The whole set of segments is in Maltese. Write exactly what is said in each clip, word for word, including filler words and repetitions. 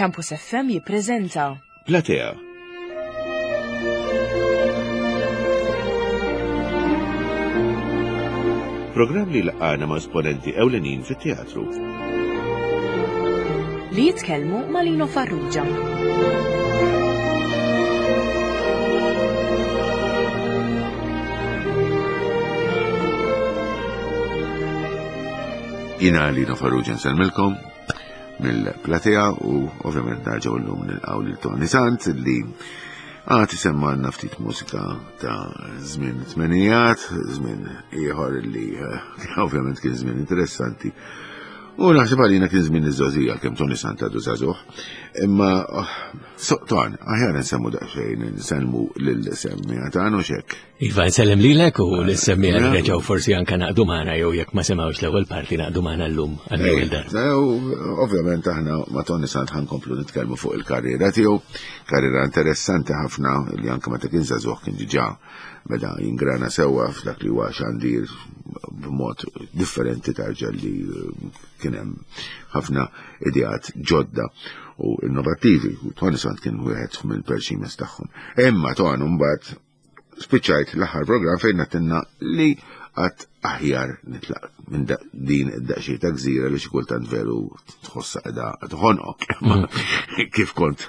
Campus F M jippreżenta Platea. Programm li laqgħana ma' esponenti ewlenin fit-teatru. Li jitkellmu ma' Lino Farrugia. Jina Lino Farrugia nsellmilkom mill-Platea u ovvjament nerġgħu llum nilqgħu lil Toni Sant li għad isemmalna ftit mużika ta' żmien tmenijat, żmien ieħor li ovvjament kien żmien interessanti. U naħseb għalina kien żmien iż-żgħożija kemm Toni Sant għadu żagħżugħ. Imma Ton, aħjar nsemmu daqsxejn, nsellmu lil-semmija tagħna u x'hekk. Iva, nsellem lilek u l-semmija li reġgħu forsi anke naqdu magħna jew jekk ma semgħux l-ewwel parti naqdu magħna llum għall-ewwel darba. Ovvjament aħna ma' Toni Sant ħankomplu nitkellmu fuq il-karriera tiegħu, karriera interessanti ħafna li anke meta kien żagħżugħ kien diġà beda jingrana sewwa f'dak li huwa xandir b'mod differenti tarġa li kien hemm ħafna ideat ġodda u innovattivi. U Toni Sant kien wieħed mill-perximes tagħhom. Imma Ton mbagħad spiċċajt l-aħħar programm fejn għedtilna li għad aħjar nitlaq minn din id-daqsxejn ta' gżira li xi kultant veru tħossha qiegħda tħonqok. Kif kont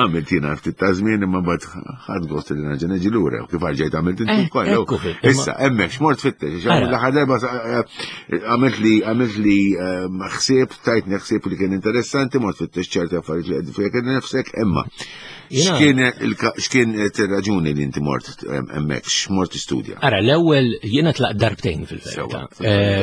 għamilt jiena ftit ta' żmien imma mbagħad ħadd gost li nerġa' niġi lura u kif rġajt għamilt inti wkoll. Issa hemmhekk x'mort tfittex, l-aħħar darba għamilt li għamilt li ħsieb, tajtni ħsieb li kien interessanti, mort tfittex ċerti affarijiet li qed fik nifsek, imma x'kien ir-raġuni li inti mort hemmhekk, x'mort tistudja? Ara, l-ewwel jiena tlaqt darbtejn fil-verità.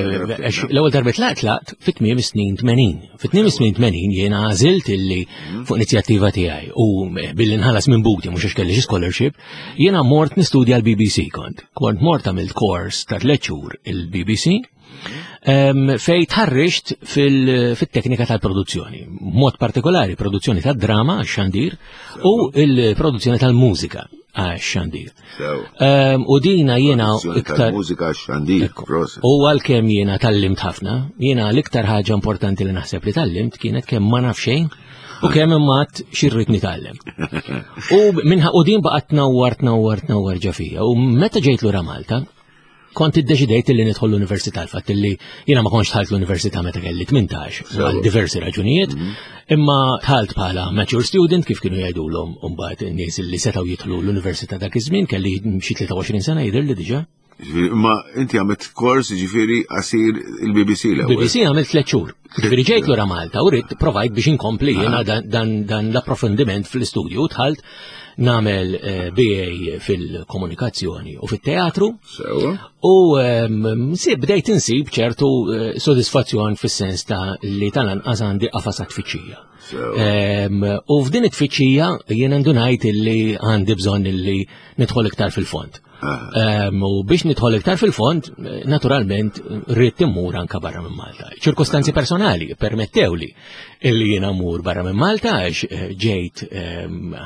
L-ewwel darba tlaqt tlaqt fit-tmiem snin tmenin. Fit-tmiem snin tmenin jiena għażilt illi fuq inizjattiva tiegħi u billi nħallas minn buti mhux għax kelli xi scholarship, jiena mort nistudja l-B B C kont. Kont mort għamilt kors ta' tliet xhur il-B B C fej tħarriġt fil-teknika tal-produzzjoni, mod partikolari produzzjoni tad-drama għax-xandir u l-produzzjoni tal-mużika għax-xandir. U dina jiena iktar mużika għax-xandir. U għalkemm jiena tallimt ħafna, jiena l-iktar ħaġa importanti li naħseb li tallimt kienet kemm ma naf xejn u kemm imma xi rrid nitgħallem. U minħa u din baqgħet tnawwar tnawwar tnawwar ġo fija. U meta ġejt lura Malta, kont iddeċidejt li nidħol l-università, l-fatt li jiena ma kontx dħalt l-università meta kelli tmintax, għal diversi raġunijiet, imma dħalt bħala mature student kif kienu jgħidulhom mbagħad in-nies li setgħu jidħlu l-università dak iż-żmien, kelli xi tlieta u għoxrin sena jidher li diġà. Imma inti għamilt kors ġifieri qasir il-B B C l-ewwel. B B C għamilt tliet xhur. Ġifieri ġejt lura Malta u rrid provajt biex inkompli jiena dan, dan l-approfondiment fl-istudju, dħalt nagħmel B A fil-komunikazzjoni u fit-teatru. U bdejt insib ċertu sodisfazzjon fis-sens ta' li tal-anqas għandi qafas tfittxija. U f'din it-tfittxija jiena ndunajt illi għandi bżonn illi nidħol iktar fil-fond. U biex nidħol iktar fil-fond, naturalment, rrid immur anka barra minn Malta. Ċirkostanzi personali permettewli illi jiena mmur barra minn Malta għax ġejt,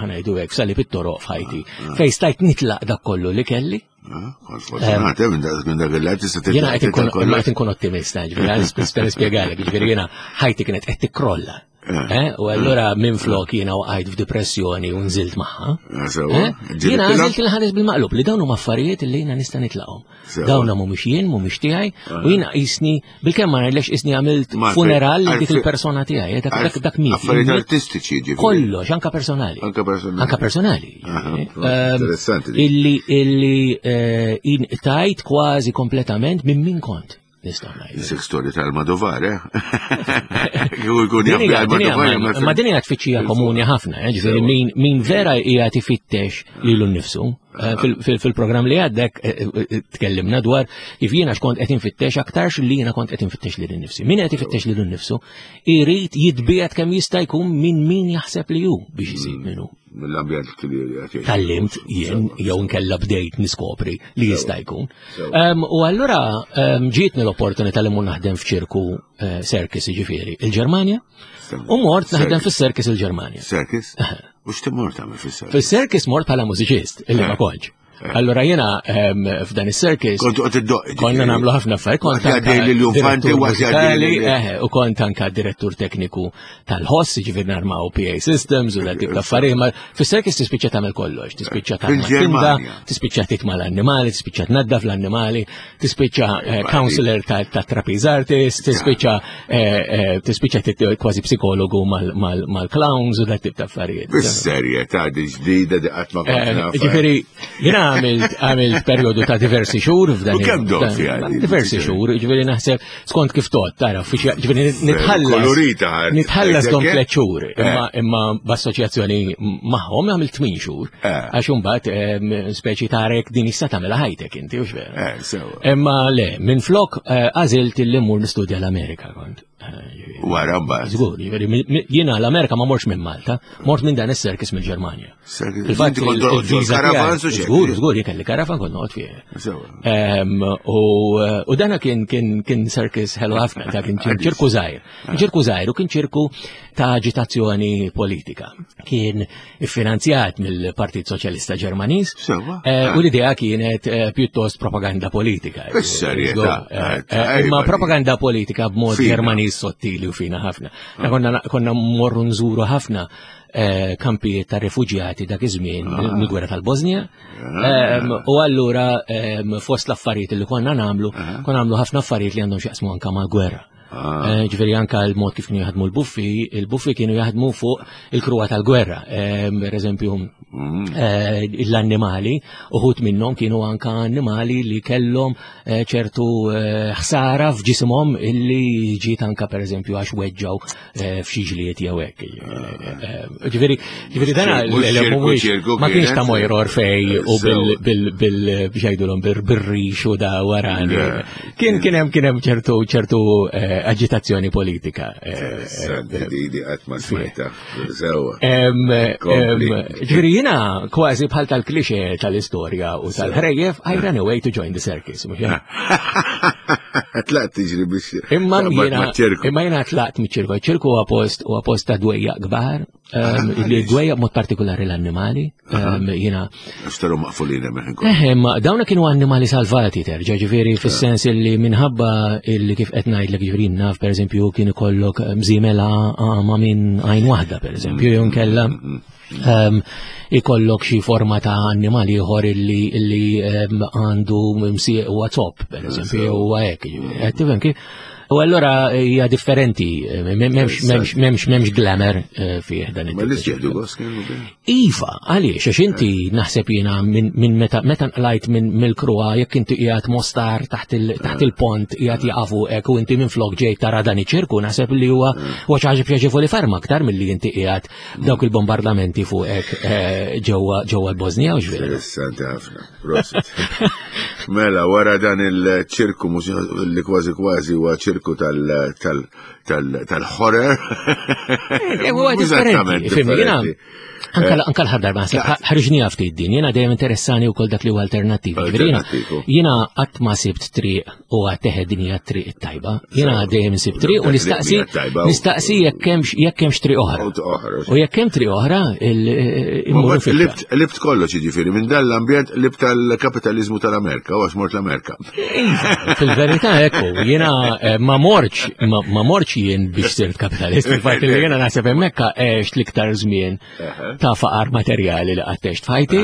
ħanajdu hekk, sali fit-toroq f'ħajti, fejn stajt nitlaq dak kollu li kelli. Fortunat, minn dak il-lat tista' titlaq. Jiena qed inkun, imma qed inkun ottimista, ġifieri, għal nista' nispjegalek, ġifieri jiena ħajti kienet qed tikkrolla. U allura minn flok jiena waqajt f'depressjoni u nżilt magħha. Jiena għażilt il-ħares bil-maqlub li dawn huma affarijiet li jiena nista' nitlaqhom. Dawn mhumiex jien, mhumiex tiegħi, u jiena qisni bilkemm ma ngħidlekx qisni għamilt funeral lil dik il-persona tiegħi, dak dak miet. Affarijiet artistiċi ġifieri. Kollox, anka personali. Anka personali. Anka personali. Interessanti. Illi, illi tajt kważi kompletament minn min kont. Nistgħu ngħidu. Isek storja tal-Madovar, eh? Kieku jkun jaf bi għal-Madovar, Ma din hija tfittxija komuni ħafna, eh? Ġifieri min, min vera qiegħed ifittex lilu nnifsu. Fil-programm li għaddek tkellimna dwar kif jiena x'kont qed infittex aktarx li jiena kont qed infittex lili nnifsi. Min qed ifittex lilu nnifsu irid jitbiegħed kemm jista' jkun minn min jaħseb li hu biex isib minnu. Mill-ambjent li qed jgħix. Tallimt jien jew nkella bdejt niskopri li jista' jkun. U allura ġietni l-opportunità li mmur naħdem f'ċirku circus jiġifieri il-Ġermanja u mort naħdem fis-circus il-Ġermanja. Circus? U x'timur tagħmel fis-circus? Fis-circus mort bħala mużiċist, illi ma kontx. Allura jiena f'dan is-circus. Kont qed iddoqq. Konna nagħmlu ħafna affarijiet. Kont anke direttur mużikali, u kont anke direttur tekniku tal-ħoss, jiġifieri narmaw P A systems u dak tip ta' affarijiet. Ma fis-circus tispiċċa tagħmel kollox, tispiċċa tagħmel tinda, tispiċċa titma' l-annimali, tispiċċa tnaddaf l-annimali, tispiċċa counselor ta' trapeze artist, tispiċċa tispiċċa kważi psikologu mal-clowns u dak tip ta' affarijiet. Bis-serjetà di ġdida di qatt ma kont naf. Jiġifieri jiena għamilt għamilt perjodu ta' diversi xhur f'dan. U kemm dom fiha? Diversi xhur, jiġifieri naħseb skont kif tot, tara, jiġifieri nitħallas. Nitħallas dom tliet xhur, imma imma b'assoċjazzjoni magħhom għamilt tmien xhur. Għax imbagħad speċi tarek din issa tagħmilha ħajtek inti, hux vera? Imma le, minflok għażilt illi mmur nistudja l-Amerika kont. Wara mbagħad. Żgur, jiġifieri jiena l-Amerika ma mortx minn Malta, mort minn dan is-circus mill-Ġermanja. Fil-fatt il-viża karavan su xejn. Żgur, żgur, jien kelli karavan kont noqgħod fih. U dana kien kien kien circus ħelu ħafna, ta' kien ċirku żgħir. Ċirku żgħir u kien ċirku ta' aġitazzjoni politika. Kien iffinanzjat mill-Partit Soċjalista Ġermaniż. U l-idea kienet pjuttost propaganda politika. Bis-serjetà. Imma propaganda politika b'mod Ġermaniż sottili u fina ħafna. Konna konna mmorru nżuru ħafna kampijiet ta' rifuġjati dak iż-żmien mill-gwerra tal-Bosnija. U allura fost l-affarijiet li konna nagħmlu, konna nagħmlu ħafna affarijiet li għandhom x'jaqsmu anke mal-gwerra. Ġifieri anke l-mod kif kienu jaħdmu l-buffi, il-buffi kienu jaħdmu fuq il-kruha tal-gwerra. Per eżempju, l-annimali, uħud minnhom kienu anke annimali li kellhom ċertu ħsara f'ġisimhom illi ġiet anke per eżempju għax weġġaw f'xi ġlied jew hekk. Ġifieri ġifieri dan ma kienx ta' Mojr Orfej u bil bil biex bir-rix u da warani. Kien kien hemm kien hemm ċertu ċertu aġitazzjoni politika. Ġifieri jiena kważi bħal tal-klixe tal-istorja u tal-ħrejjef, I ran away to join the circus. Tlaqt tiġri biex. Imma jiena tlaqt miċ-ċirku. Ċirku huwa post huwa post ta' dwejjaq kbar, li dwejjaq mod partikolari l-annimali. Jiena. Xtaru maqfulin hemmhekk. Eh, ma dawna kienu annimali salvati terġa', ġifieri fis-sens illi minħabba illi kif qed ngħidlek ġifieri naf pereżempju kien ikollok mżiemela ma' minn għajn waħda pereżempju, jew inkella ikollok xi forma ta' annimali ieħor illi illi għandu msieq huwa top pereżempju, huwa hekk. Qed tifhem kif? U allora hija differenti, m'hemmx m'hemmx m'hemmx glamour fih dan it-tip. Ma li jieħdu gost kienu bih? Iva, għaliex għax inti naħseb jiena minn meta meta nqlajt minn mill-kruha jekk inti qiegħed Mostar taħt il-pont qiegħed jaqafu hekk u inti minflok ġejt tara dan iċ-ċirku naħseb li huwa huwa xi ħaġa pjaċevoli ferm aktar milli inti qiegħed dawk il-bombardamenti fuqek ġewwa ġewwa l-Bosnija u x'vera. Interessanti ħafna. Prosit. Mela wara dan il-ċirku li kważi kważi huwa ċirku tal-horror. Huwa differenti. Fimni, anka l-ħar darba naħseb ħriġni ftit din, jiena dejjem interessani wkoll dak li huwa alternattiv. Jiena qatt ma sibt triq u għad din hija triq it-tajba. Jiena dejjem sibt triq u nistaqsi nistaqsi jekk hemmx jekk hemmx triq oħra. U jekk hemm triq oħra immorru fil Libt kollox jiġifieri minn dan l-ambjent libt tal-kapitaliżmu tal-Amerika u għax mort l-Amerika. Fil-verità ekku, jiena ma mortx ma mortx jien biex sirt kapitalist, fil-fatt li jiena naħseb hemmhekk għext l-iktar żmien ta' faqar materjali li qatt f'ħajti.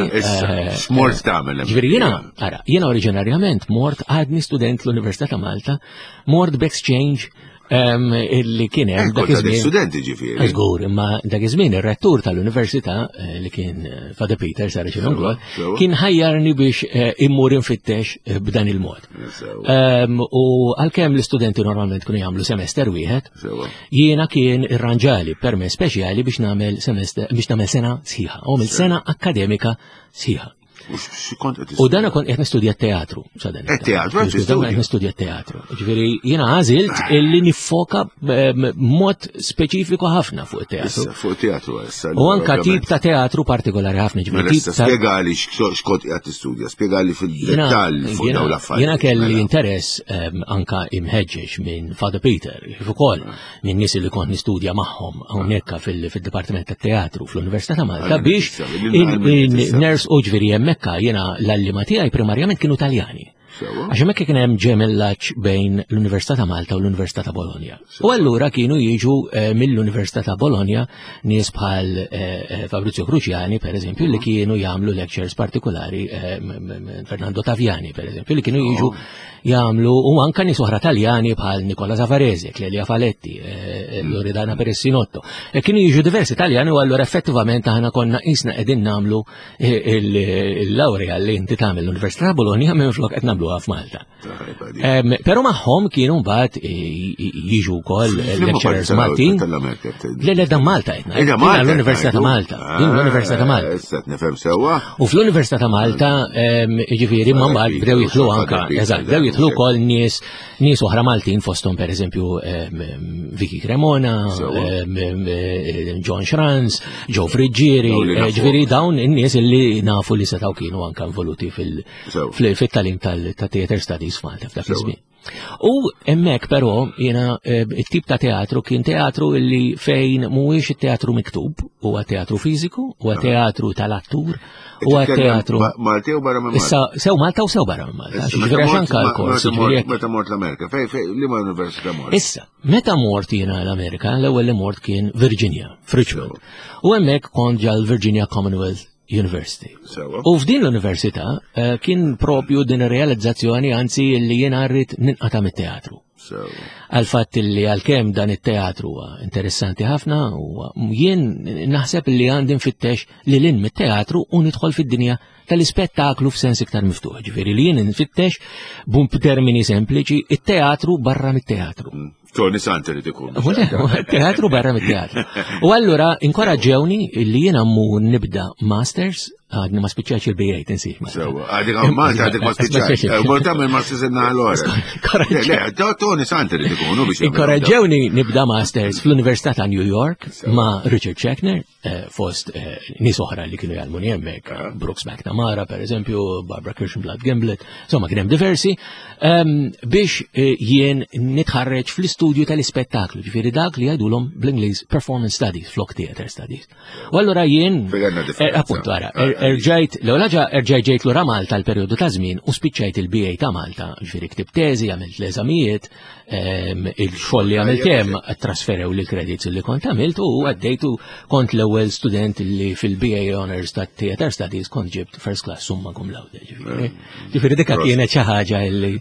X'mort tagħmel? Ġifieri jiena, ara, jiena oriġinarjament mort għadni student l-Università ta' Malta, mort b'exchange illi kien hemm dak iż-żmien. Studenti ġifieri. Żgur, imma dak iż-żmien ir-rettur tal-Università li kien Father Peter Saracen Unglod kien ħajjarni biex immur infittex b'dan il-mod. U għalkemm l-istudenti normalment kienu jagħmlu semester wieħed, jiena kien irranġali permess speċjali biex nagħmel semester biex nagħmel sena sħiħa, u sena akkademika sħiħa. U dana kont qed nistudja teatru. Teatru, qed nistudja teatru. Ġifieri jiena għażilt illi nifoka mod speċifiku ħafna fuq it-teatru. Fuq teatru issa. U anka tip ta' teatru partikolari ħafna ġifieri. Spjegali x'kont qiegħed tistudja, spjegali fil-dettall fuq dawn l-affarijiet. Jiena kelli interess anka imħeġġeġ minn Father Peter, kif ukoll minn nies li kont nistudja magħhom hawnhekk fil-Dipartiment tat-Teatru fl-Università ta' Malta biex ners u ġifieri hemmhekk hemmhekk jiena l-għalliema tiegħi primarjament kienu Taljani. Sewwa. Għax hemmhekk kien hemm ġemellaġġ bejn l-Università ta' Malta u l-Università ta' Bologna. U allura kienu jiġu eh, mill-Università ta' Bologna nies bħal eh, eh, Fabrizio Cruciani, per eżempju, li kienu jagħmlu lectures partikolari, eh, m- m- Fernando Taviani, per eżempju, li kienu jiġu jagħmlu u anka nies oħra Taljani bħal Nicola Savarese, Clelia Faletti, eh, Loredana Peressinotto. E kienu jiġu diversi Taljani u allura effettivament aħna konna qisna qegħdin nagħmlu eh, il- il-laurea li inti tagħmel l-Università ta' Bologna minn flok qed nagħmluha f'Malta. Tajba di. Em, Però magħhom kienu mbagħad eh, jiġu wkoll F'liema lecturers parti Maltin. tal-Amerika? Le le dan Malta qed ngħid. Ida Malta. Din l-Università ta' Malta. Din l-Università ta' Malta. Issa nifhem sewwa. U fl-Università ta' Malta, em, jiġifieri, ma mbagħad bdew jidħlu anka, eżatt, bdew jidħlu wkoll nies nies oħra Maltin fosthom pereżempju em, em, Vicky Cremona, Sewwa. em, em, eh, John Schranz, Joe Friggieri, Dawn li eh, nafu. ġifieri dawn in-nies illi nafu li setgħu kienu anka involuti fil- Sewwa. fil- fit-tagħlim tal-theater studies f'Malta f'dak Sewwa. iż-żmien. U hemmhekk però jiena eh, it-tip ta' teatru kien teatru illi fejn mhuwiex it-teatru miktub, huwa teatru fiżiku, huwa teatru tal-attur, huwa teatru. Malti u barra minn Malta. Issa sew Malta u sew barra minn Malta. Issa, Ġifieri meta għax mort- anka ma- l-kors, meta ġifieri mort- jekk- Meta mort l-Amerika, fej, fej, liema università mort? Issa, meta mort jiena l-Amerika, l-ewwel li mort kien Virginia, f'Richmond. U hemmhekk kont ġal Virginia Commonwealth University. Sewwa. U f'din l-università eh, kien propju din ir-realizzazzjoni anzi li jiena rrid ninqata' mit-teatru. Sewwa. Għal fatt li għalkemm dan it-teatru huwa interessanti ħafna u jien naħseb li għandi nfittex li lil hinn mit-teatru u nidħol fid-dinja tal-ispettaklu f'sens iktar miftuħ. Ġifieri li jien nfittex bum b'termini sempliċi it-teatru barra mit-teatru. Tony Sant irid ikun. U le, Teatru barra mit-teatru. U allura inkoraġġewni li jiena mmur nibda masters, għadni ma spiċċax il-B A tinsiex. ma- Sewwa, għadek għaw Malta għadek ma spiċċax. Ma Mort tagħmel masters inna l-ora. Le, le, Tony Sant irid ikun, u biex. jagħmel Inkoraġġewni nibda masters fl-Università ta' New York ma' Richard Schechner, eh, fost eh, nies oħra li kienu jgħallmuni hemmhekk, Brooks McNamara per eżempju, Barbara Kirshenblatt Gimblett, insomma kien hemm diversi, ehm, biex eh, jien nitħarreġ fl-istudju tal-ispettaklu, ġifieri dak li jgħidulhom bl-Ingliż performance studies, flok theater studies. U allura jien Fejn għandna differenza. eh, appuntu ara, er- erġajt, l-ewwel ħaġa erġajt ġejt lura Malta l-perjodu ta' żmien u spiċċajt il-B A ta' Malta, ġifieri ktib teżi, għamilt l-eżamijiet, ehm, il-xogħol li għamilt hemm trasferew li credits li kont għamilt u għaddejtu kont l-ewwel student li fil-B A Honors ta' Theater Studies kont ġibt first class summa cum laude. Ġifieri Ġifieri dika kienet xi ħaġa li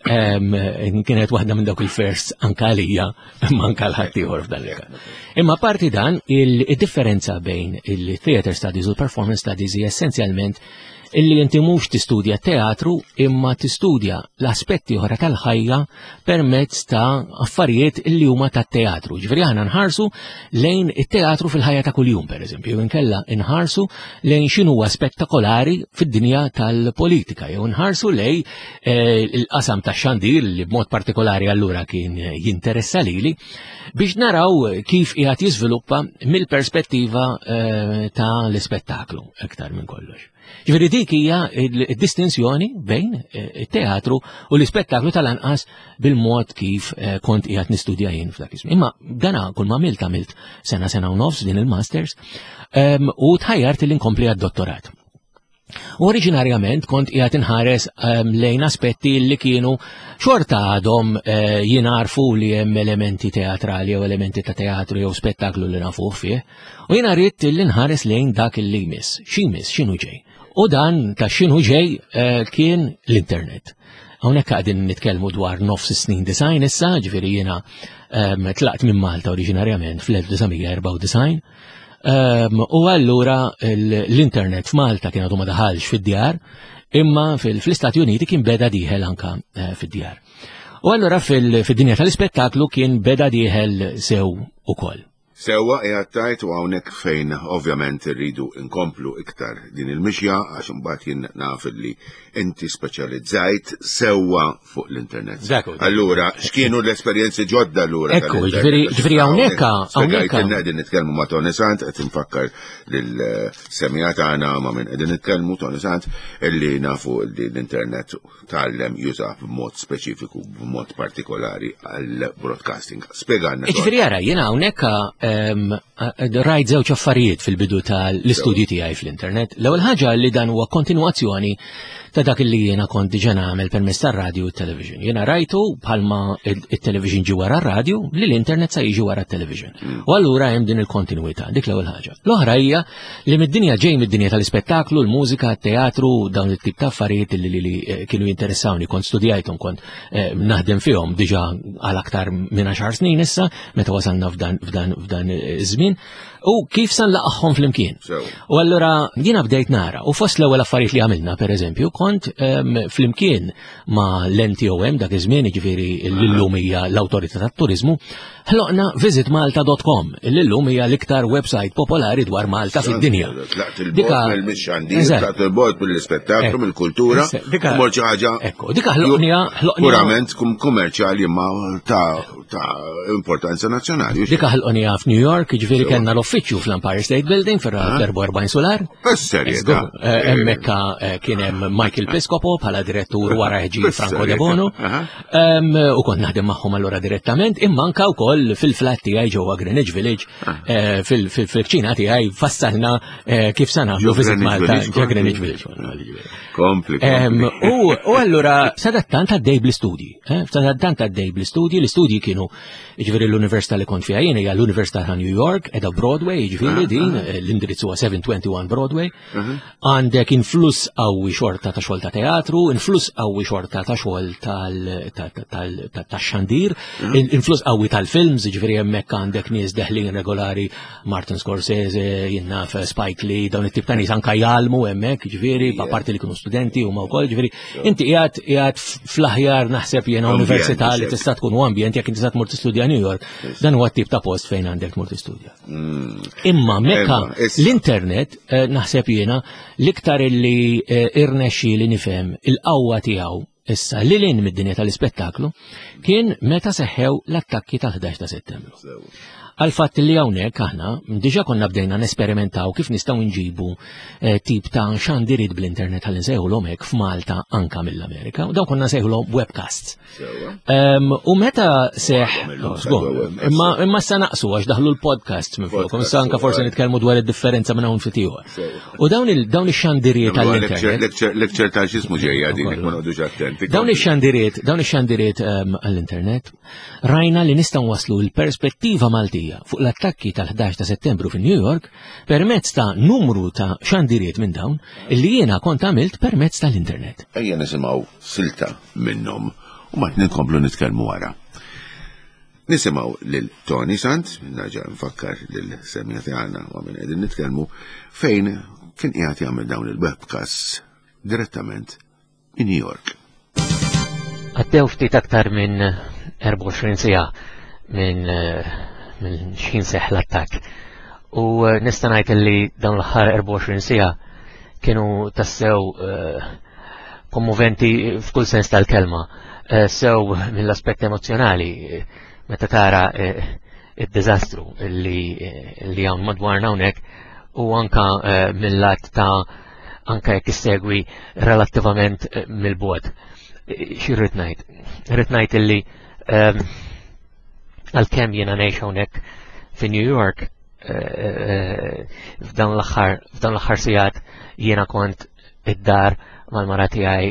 ehm, kienet waħda minn dawk il-firsts anka għalija imma anka l-ħaddieħor f'dan il-każ. Imma parti dan il-differenza bejn il-theater studies u l-performance studies hija essenzjalment illi inti mhux tistudja teatru imma tistudja l-aspetti oħra tal-ħajja permezz ta' affarijiet illi huma tat-teatru. Ġifieri aħna nħarsu lejn it-teatru fil-ħajja ta' kuljum, pereżempju, jew inkella nħarsu lejn x'inhu huwa spettakolari fid-dinja tal-politika, jew nħarsu lejn eh, il-qasam tax-xandir li b'mod partikolari allura kien jinteressa lili biex naraw kif qiegħed jiżviluppa mill-perspettiva eh, ta' l-ispettaklu iktar minn kollox. Ġifieri dik hija il-distinzjoni bejn eh, it-teatru u l-ispettaklu tal-anqas bil-mod kif eh, kont qiegħed nistudja jien f'dak iż-żmien. Imma dana kull ma għamilt għamilt sena sena u nofs din il-masters em, u tħajjart li nkompli għad-dottorat. U oriġinarjament kont qiegħed inħares um, lejn aspetti li kienu xorta għadhom uh, jinarfu li hemm elementi teatrali jew elementi ta' teatru jew spettaklu li nafuh fih. U jiena rrid li nħares lejn dak li jmiss. Xi jmiss, x'inhu ġej. U dan ta' x'inhu ġej uh, kien l-internet. Hawnhekk qegħdin nitkellmu dwar nofs snin disgħin issa, ġifieri jiena um, tlaqt minn Malta oriġinarjament fl-elf disa' mija erbgħa u disgħin. Um, u allura l-internet f'Malta kien għadu ma daħalx fid-djar, imma fil-Istati Uniti kien beda dieħel anka uh, fid-djar. U allura fil-dinja tal-ispettaklu kien beda dieħel sew ukoll. Sewwa qiegħed tajt u hawnhekk fejn ovvjament irridu nkomplu iktar din il-mixja għax imbagħad jien naf li inti speċjalizzajt sewwa fuq l-internet. Dak hu. Allura, x'kienu l-esperjenzi ġodda allura? Ekku, tal-internet? ġifieri- ġifieri hawnhekk- hawnhekk- Spjegajtilna qegħdin nitkellmu ma' Tony Sant, qed infakkar lil-semmiegħa tagħna ma' min qegħdin nitkellmu Tony Sant illi nafu li l-internet tgħallem juża b'mod speċifiku, b'mod partikolari għal broadcasting. Spjegalna. Ġifieri ara, jiena hawnhekk rajt żewġ affarijiet fil-bidu tal-istudji tiegħi fl-internet. L-ewwel ħaġa li dan huwa kontinwazzjoni ta' dak li jiena kont diġà nagħmel permezz tar-radju u t-television. Jiena rajtu bħalma it-television ġi wara r-radju li l-internet sa jiġi wara t-television. U allura hemm din il-kontinwità, dik l-ewwel ħaġa. L-oħra hija li mid-dinja ġej mid-dinja tal-ispettaklu, l-mużika, t-teatru, dawn it-tip ta' affarijiet li li kienu jinteressawni, kont studjajthom, kont naħdem fihom diġà għal aktar minn għaxar snin issa, meta wasalna f'dan f'dan f'dan iż-żmien, u kif sa nlaqgħhom flimkien. U allura jiena bdejt nara, u fost l-ewwel affarijiet li għamilna, pereżempju, kont flimkien ma' l-N T O M dak iż-żmien, jiġifieri l-illum hija l-Awtorità tat-Turiżmu, ħloqna visit malta dot com, l-illum hija l-iktar website popolari dwar Malta fid-dinja. Tlaqt il-bogħod mill-mixxandir, tlaqt il-bogħod mill-ispettaklu, mill-kultura, mort xi ħaġa. Ekku, dika ħloqnija, ħloqnija purament kummerċjali imma ta' importanza nazzjonali. Dika ħloqnija f'New York, jiġifieri kellna l-uffiċċju fl-Empire State Building fir-erbgħa u erbgħin solar. Bis-serjetà. Hemmhekk kien hemm Michael Piscopo bħala direttur wara ġie Franco De Bono. U kont naħdem magħhom allura direttament, imma anke wkoll fil-flat tiegħi ġewwa Greenwich Village, fil-kċina tiegħi fassalna kif sa nagħmlu Visit Malta ġewwa Greenwich Village. Kompli. U allura sadattant għaddej bl-istudji, sadattant għaddej bl-istudji, l-istudji kienu jiġifieri l-università li kont fiha jien hija l-Università ta' New York, qiegħda Broadway, jiġifieri din l-indirizz huwa seven twenty-one Broadway. Għandek influss qawwi xorta ta' xogħol ta' teatru, influss qawwi xorta ta' xogħol tax-xandir, influss qawwi tal-films, jiġifieri hemmhekk għandek nies deħlin regolari, Martin Scorsese, jien naf Spike Lee, dawn it-tip ta' nies anke jgħallmu hemmhekk, jiġifieri apparti li kienu studenti huma wkoll, jiġifieri inti qiegħed qiegħed fl-aħjar naħseb jiena università li tista' tkun u ambjent jekk inti tista' tmur tistudja New York, dan huwa t-tip ta' post fejn għandek tmur tistudja. Imma mekka l-internet naħseb jiena l-iktar illi irnexxi li nifhem il-qawwa tiegħu issa li lin mid-dinja tal-ispettaklu kien meta seħħew l-attakki tal-ħdax ta' Settembru. Għal fatt li hawnhekk aħna diġà konna bdejna nesperimentaw kif nistgħu nġibu tip ta' xandiriet bl-internet ħalli nsejħulhom hekk f'Malta anka mill-Amerika, u dawn konna nsejħulhom webcasts. U meta seħ, imma imma sa naqsu għax daħlu l-podcasts minn fuq, issa anka forsi nitkellmu dwar id-differenza minn hawn ftit ieħor. U dawn dawn ix-xandiriet għall-internet. Lecture ta' x'ismu ġejja din, ma noqgħodux attenti. Dawn ix-xandiriet, dawn ix-xandiriet għall-internet, rajna li nistgħu waslu l-perspettiva Maltija fuq l-attakki tal-ħdax ta' Settembru fi New York permezz ta' numru ta' xandiriet minn dawn illi jiena kont għamilt permezz tal-internet. Ejja nisimgħu silta minnhom u mbagħad nkomplu nitkellmu wara. Nisimgħu lil Toni Sant, nerġa' nfakkar lil semja tagħna u minn qegħdin nitkellmu fejn kien qiegħed jagħmel dawn il-webcasts direttament minn New York. Għaddew ftit aktar minn erbgħa u għoxrin siegħa minn minn x'ħin seħħ l-attakk. U nista' ngħid li dawn l-aħħar erbgħa u għoxrin siegħa kienu tassew kommoventi f'kull sens tal-kelma, sew mill-aspett emozjonali meta tara id-diżastru li hawn madwarna hawnhekk, u anka mill-lat ta' anka jekk issegwi relattivament mill-bogħod. Xi rrid ngħid? Rrid ngħid illi għalkemm jiena ngħix hawnhekk fi New York, f'dawn l-aħħar f'dawn l-aħħar sigħat jiena kont id-dar mal-mara tiegħi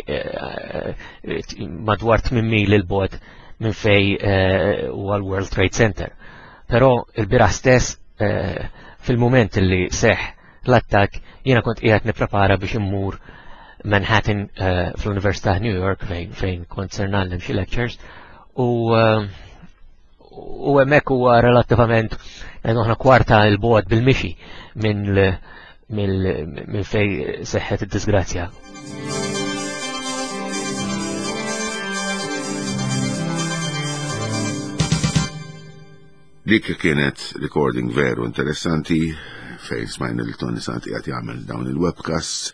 madwar tmien mil il-bogħod minn fej huwa l-World Trade Center. Però il-bieraħ stess fil-mument li seħħ l-attakk jiena kont qiegħed nipprepara biex immur Manhattan fl-Università New York fejn fejn kont ser ngħallem xi lectures, u u hemmhekk huwa relattivament aħna kwarta l-bogħod bil-mixi minn minn fej seħħet id-disgrazzja. Dik kienet recording veru interessanti fejn smajna li Toni Sant qiegħed jagħmel dawn il-webcasts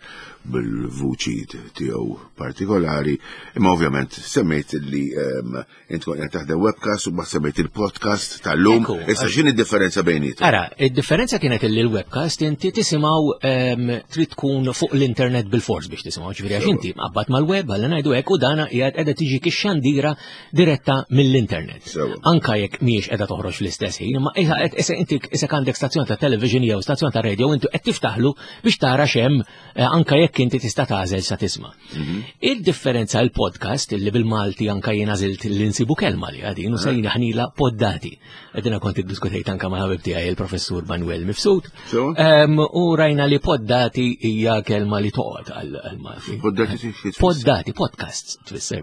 bil-vuċi tiegħu partikolari, imma ovvjament semmejt li int kont qed taħdem webcast u mbagħad semmejt il-podcast tal-lum. Issa x'inhi d-differenza bejniethom? Ara, id-differenza kienet li l-webcast inti tisimgħu trid tkun fuq l-internet bil-fors biex tisimgħu, ġifieri għax inti qabbat mal-web għal ngħidu hekk u dana qiegħed qiegħda tiġi xandira diretta mill-internet. Anka jekk mhijiex qiegħda toħroġ fl-istess ħin, imma issa inti issa għandek stazzjon ta' television jew stazzjon ta' radio inti qed tiftaħlu biex tara x'hemm anka jekk inti tista' tagħżel sa tisma'. Il-differenza il-podcast illi bil-Malti anka jien għażilt li nsibu kelma li għadin u sejna ħnila poddati. Għedina kont iddiskutejt anka ma' ħabib tiegħi il-professur Manuel Mifsud. U rajna li poddati hija kelma li toqgħod għal-Malti. Poddati Poddati, podcasts tfisser.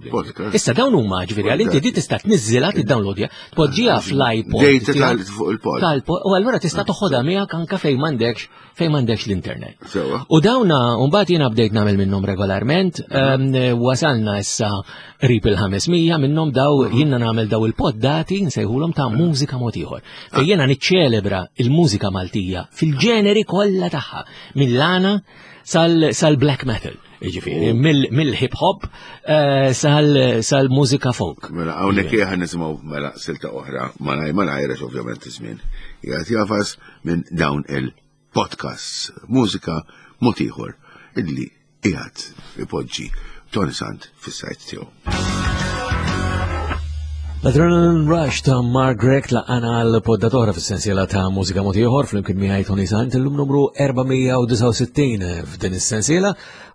Issa dawn huma ġifieri għal inti di tista' tniżżilha tiddownloadja, tpoġġiha fl-iPod. Fuq il-pod. U allura tista' toħodha miegħek anka fejn m'għandekx fejn m'għandekx l-internet. U dawna mbagħad jiena bdejt nagħmel minnhom regolarment, wasalna issa qrib il-ħames mija minnhom daw jiena nagħmel daw il-poddati nsejħulhom ta' mużika mod ieħor. Fejn jiena niċċelebra il-mużika Maltija fil-ġeneri kollha tagħha, mill-għana sal-black metal. Ġifieri, mill-hip hop sal-mużika folk. Mela, hawnhekk ħa nisimgħu mela silta oħra malaj malaj għax ovvjament iż-żmien qiegħed jafas minn dawn il-podcasts, mużika mod ieħor illi qiegħed ipoġġi Toni Sant fis-sajt tiegħu. L-Adrenaline Rush ta' Mark Grech laqana l-poddatora fis-sensiela ta' mużika mod ieħor flimkien miegħi Toni Sant illum numru erba' mija u disgħa u sittin f'din is-sensiela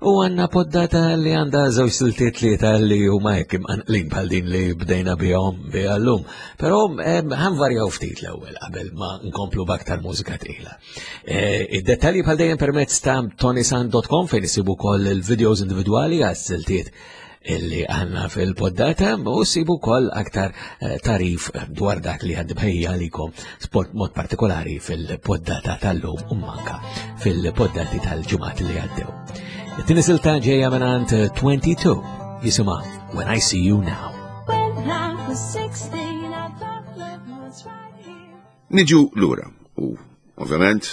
u għandna poddata li għandha żewġ siltiet tlieta li huma hekk imqanqlin bħal din li bdejna bihom biha llum. Però ħanvarjaw ftit l-ewwel qabel ma nkomplu b'aktar mużika tqila. Id-dettalji bħal dejjem permezz ta' toni sant dot com fejn isibu wkoll il-videos individwali għas-siltiet illi għanna fil-poddata u sibu kol aktar tarif dwar dak li għaddi bħejja għalikom sport mod partikolari fil-poddata tal-lum u manka fil-poddati tal-ġimgħat li għaddew. It-tieni silta ġejja mingħand twenty-two jisimha When I See You Now. When I was sixteen, I thought love was right here. Niġu lura u ovvjament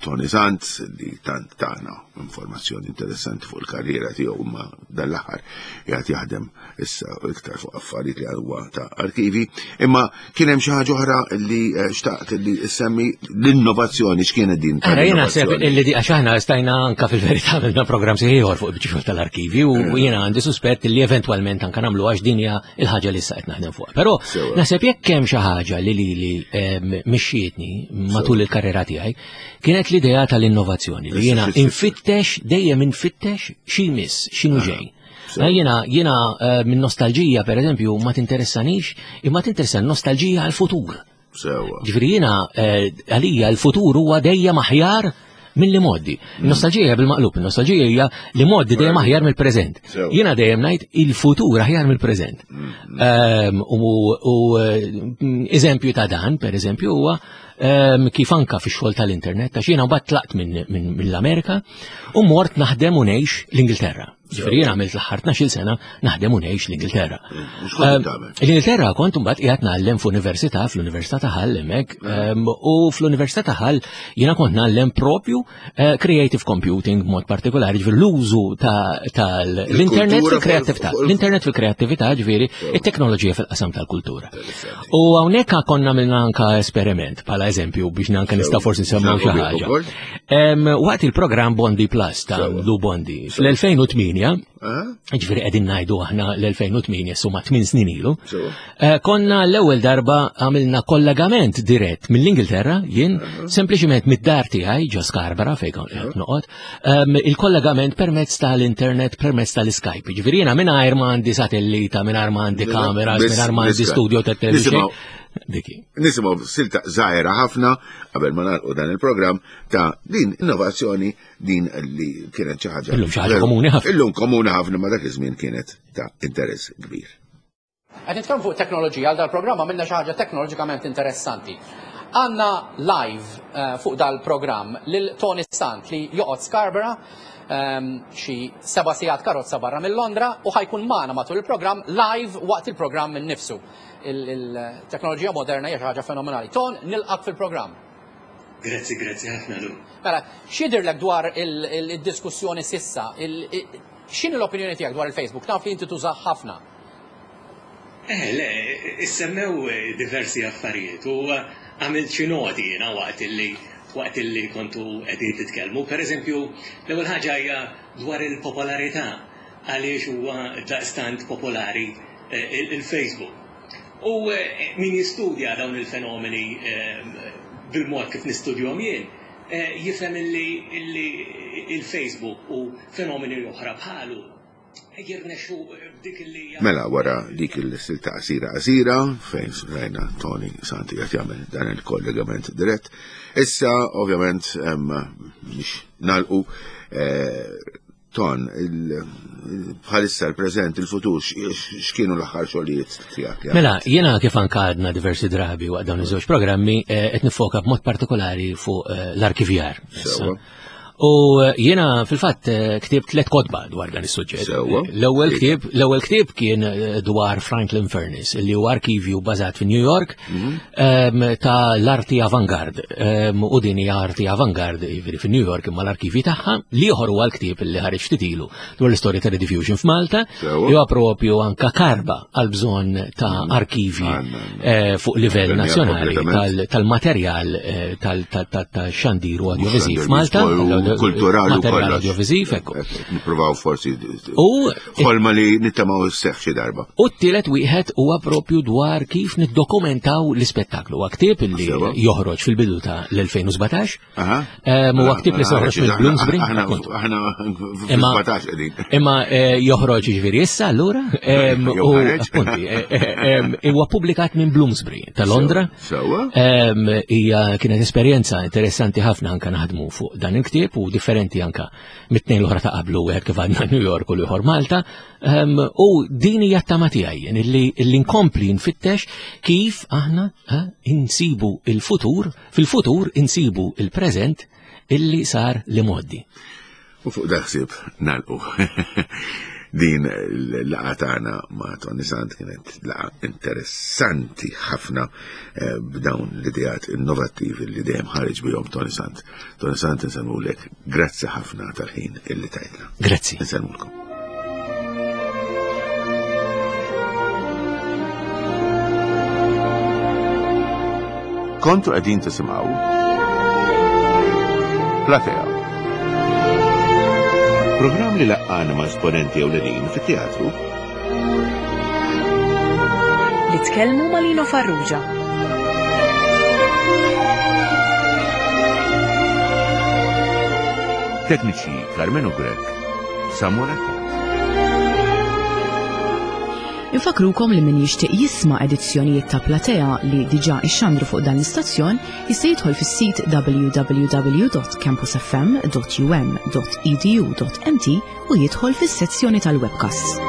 Toni Sant li tant tagħna informazzjoni interessanti fuq il-karriera tiegħu imma dan l-aħħar qiegħed jaħdem issa iktar fuq affarijiet li huwa ta' arkivi, imma kien hemm xi ħaġa oħra li xtaqt li semmi l-innovazzjoni. X'kienet din Ara, jiena naħseb illi di għax aħna stajna anka fil-verità għamilna programm ieħor fuq il-biċċa tal-arkivi u jiena għandi suspett li eventwalment anka nagħmlu għax din hija il-ħaġa li issa qed naħdem fuqha. Però naħseb jekk hemm xi ħaġa li lili mixxietni matul il-karriera tiegħi kienet l-idea tal-innovazzjoni li jiena infittex dejjem infittex xi miss x'inhu ġej. Jiena jiena minn nostalġija pereżempju ma tinteressanix, imma tinteressa nostalġija għall-futur. Ġifieri jiena għalija l-futur huwa dejjem aħjar mill-li moddi. Nostalġija bil-maqlub, nostalġija hija li moddi dejjem aħjar mill-preżent. Jiena dejjem ngħid il-futur aħjar mill-preżent. U eżempju ta' dan, pereżempju, huwa kif anka fix-xogħol tal-internet, għax jiena mbagħad tlaqt mill-Amerika u mort naħdem u ngħix l-Ingilterra. Ġifieri jiena għamilt l-aħħar tnax-il sena naħdem u ngħix l-Ingilterra. L-Ingilterra kont mbagħad qiegħed ngħallem f'università, fl-Università ta' Hull hemmhekk, u fl-Università ta' Hull jiena kont ngħallem propju creative computing b'mod partikolari, ġifieri l-użu tal-internet fil-kreattività, l-internet fil-kreattività, ġifieri it-teknoloġija fil-qasam tal-kultura. U hawnhekk konna għamilna anka esperiment bħala eżempju biex anke nista' forsi nsemmaw xi ħaġa. Waqt il-programm Bondi Plus ta' Lou Bondi fl-elfejn u tmienja, ġifieri qegħdin ngħidu aħna l-elfejn u tmienja suma tmien snin ilu, konna l-ewwel darba għamilna kollegament dirett mill-Ingilterra, jien sempliċiment mid-dar tiegħi ġo Scarborough fejn kont qed noqgħod, il-kollegament permezz tal-internet, permezz tal-Skype. Ġifieri jiena mingħajr ma għandi satellita, mingħajr ma għandi kameras, mingħajr ma għandi studio ta' television. Diki. Nisimgħu silta żgħira ħafna qabel ma nagħlqu dan il-programm ta' din innovazzjoni din li kienet xi ħaġa. Illum xi ħaġa komuni ħafna. Illum komuni ħafna ma dak iż-żmien kienet ta' interess kbir. Qed nitkellmu fuq teknoloġija għal dal-programm għamilna xi ħaġa teknoloġikament interessanti. Għandna live fuq dal-programm lil Toni Sant li joqgħod Scarborough xi seba' sigħat karozza barra minn Londra u ħajkun magħna matul il-programm live waqt il-programm innifsu. Il-teknoloġija moderna hija xi ħaġa fenomenali. Ton, nilqak fil-programm. Grazzi, grazzi ħafna Lu. Mela, x'jidhirlek dwar il-diskussjoni s'issa? X'inhi l-opinjoni tiegħek dwar il-Facebook? Naf li inti tużah ħafna. Eh, le, issemmew diversi affarijiet u għamilt xi noti jiena waqt illi waqt illi kontu qegħdin titkellmu. Per eżempju, l-ewwel ħaġa hija dwar il-popolarità, għaliex huwa daqstant popolari il-Facebook. U min jistudja dawn il-fenomeni bil-mod kif nistudjahom jien, jifhem illi il-Facebook u fenomeni oħra bħalu jirnexxu b'dik illi. Mela, wara dik il-silta qasira qasira fejn rajna Toni Sant qed jagħmel dan il-kollegament dirett. Issa ovvjament biex nagħlqu, Ton, bħalissa l-preżent, il-futur, x'kienu l-aħħar xogħlijiet tiegħek? Mela, jiena kif anka għadna diversi drabi waqt dawn iż-żewġ programmi, qed nifoka b'mod partikolari fuq l-arkivjar. U jiena fil-fatt ktibt tliet kotba dwar dan is-suġġett. L-ewwel ktieb, l-ewwel ktieb kien dwar Franklin Furnace, li huwa arkivju bażat fi New York ta' l-arti avangard. U din hija arti avangard jiġifieri fi New York imma l-arkivji tagħha. L-ieħor huwa l-ktieb li ħareġ ftit ilu dwar l-istorja ta' Rediffusion f'Malta, li huwa propju anka karba għal bżonn ta' arkivji fuq livell nazzjonali tal-materjal tal-xandir u audiovisiv f'Malta. Kulturali u kollox. Audiovisiv, ekku. Nippruvaw forsi ħolma li nittamaw sseħħ xi darba. U t-tielet wieħed huwa propju dwar kif niddokumentaw l-ispettaklu. Huwa ktieb li joħroġ fil-bidu ta' l-elfejn u sbatax. Huwa ktieb li se joħroġ mill-Bloomsbury. Aħna fil-sbatax qegħdin. Imma joħroġ jiġifieri issa allura. U appunti, huwa ppubblikat minn Bloomsbury ta' Londra. Hija kienet esperjenza interessanti ħafna anke naħdmu fuq dan il-ktieb u differenti anka mit-tnejn l-oħra ta' qablu, wieħed kif għadna New York u l-ieħor Malta. U din hija t-tama tiegħi illi nkompli nfittex kif aħna insibu il-futur, fil-futur insibu il-preżent illi sar li mgħoddi. U fuq daħsib nagħlqu. Din l-laqgħa tagħna ma' Toni Sant kienet laqgħa interessanti ħafna b'dawn l-ideat innovattivi li dejjem ħareġ bihom Toni Sant. Toni Sant, insellmulek, grazzi ħafna tal-ħin illi tajtna. Grazzi. Insellmulkom. Kontu qegħdin tisimgħu Platea. Programm li laqqana ma' esponenti ewlenin fit-teatru. Li tkellmu ma' Lino Farrugia. Tekniċi Carmenu Grech, Samuel Attard. Infakrukom li min jixtieq jisma' edizzjonijiet ta' Platea li diġà ixxandru fuq dan l-istazzjon jista' jidħol fis-sit w w w dot campus f m dot u m dot e d u dot m t u jidħol fis-sezzjoni tal-webcasts.